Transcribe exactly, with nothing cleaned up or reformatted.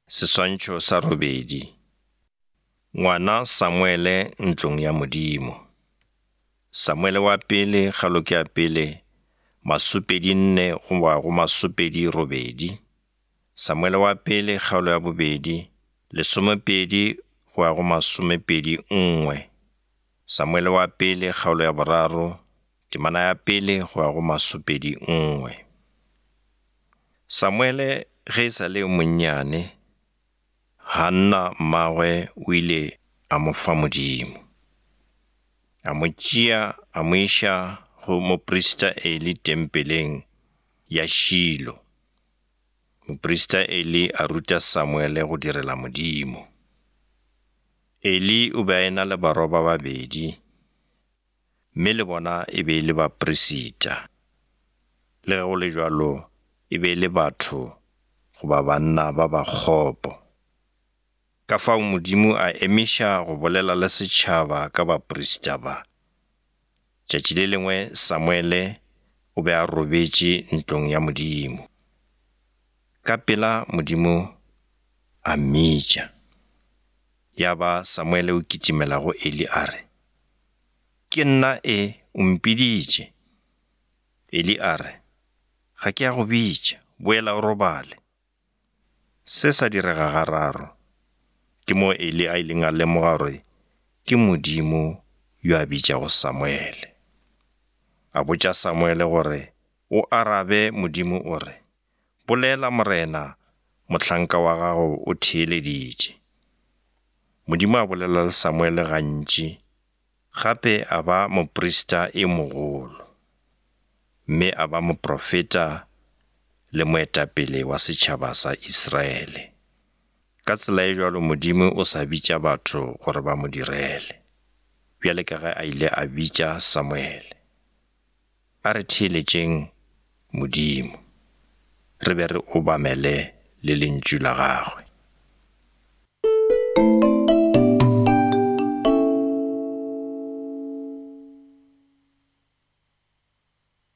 Seswantšho sa robedi. Ngwana Samuele ntlong ya Modimo. Samuele wa pele kgaolo ke ya pele masopedi nne goba go masopedi robedi. Samuele wa pele kgaolo ya bobedi lesomepedi go ya go masomepedi nngwe. Samuele wa pele kgaolo ya boraro temana ya pele go ya go masopedi nngwe. Samuele ge e sa le yo monnyane, Hanna mmagwe o ile a mo fa Modimo. A mo tšea a mo iša go moprista Eli tempeleng ya Shilo. Moprista Eli a ruta Samuele go direla Modimo. Eli o be a e-na le barwa ba babedi, mme le bona e be e le baperisita. Le ge go le bjalo, e be e le batho goba banna ba ba kgopo. Ka fao Modimo a emiša go bolela le setšhaba ka baperisita ba. Tšatši le lengwe Samuele o be a robetše ntlong ya Modimo. Ka pela Modimo a mmitša. Ya ba Samuele o kitimela go Eli a re, Ke nna e, o mpiditše. Eli a re, Ga ke a go bitša, boela o robale. Se sa direga gararo. Ke moo Eli a ileng a lemoga gore ke Modimo yo a bitšago Samuele. A botša Samuele gore o arabe Modimo o re, Bolela Morena, mohlanka wa gago o theeleditše. Modimo a bolela le Samuele gantši, gape a ba moprista e mogolo, mme a ba moprofeta le moetapele wa setšhaba sa Israele. Ka tsela e bjalo Modimo o sa bitša batho gore ba mo direle, bjale ka ge a ile a bitša Samuele. A re theeletšeng Modimo, re be re obamele le lentšu la gagwe.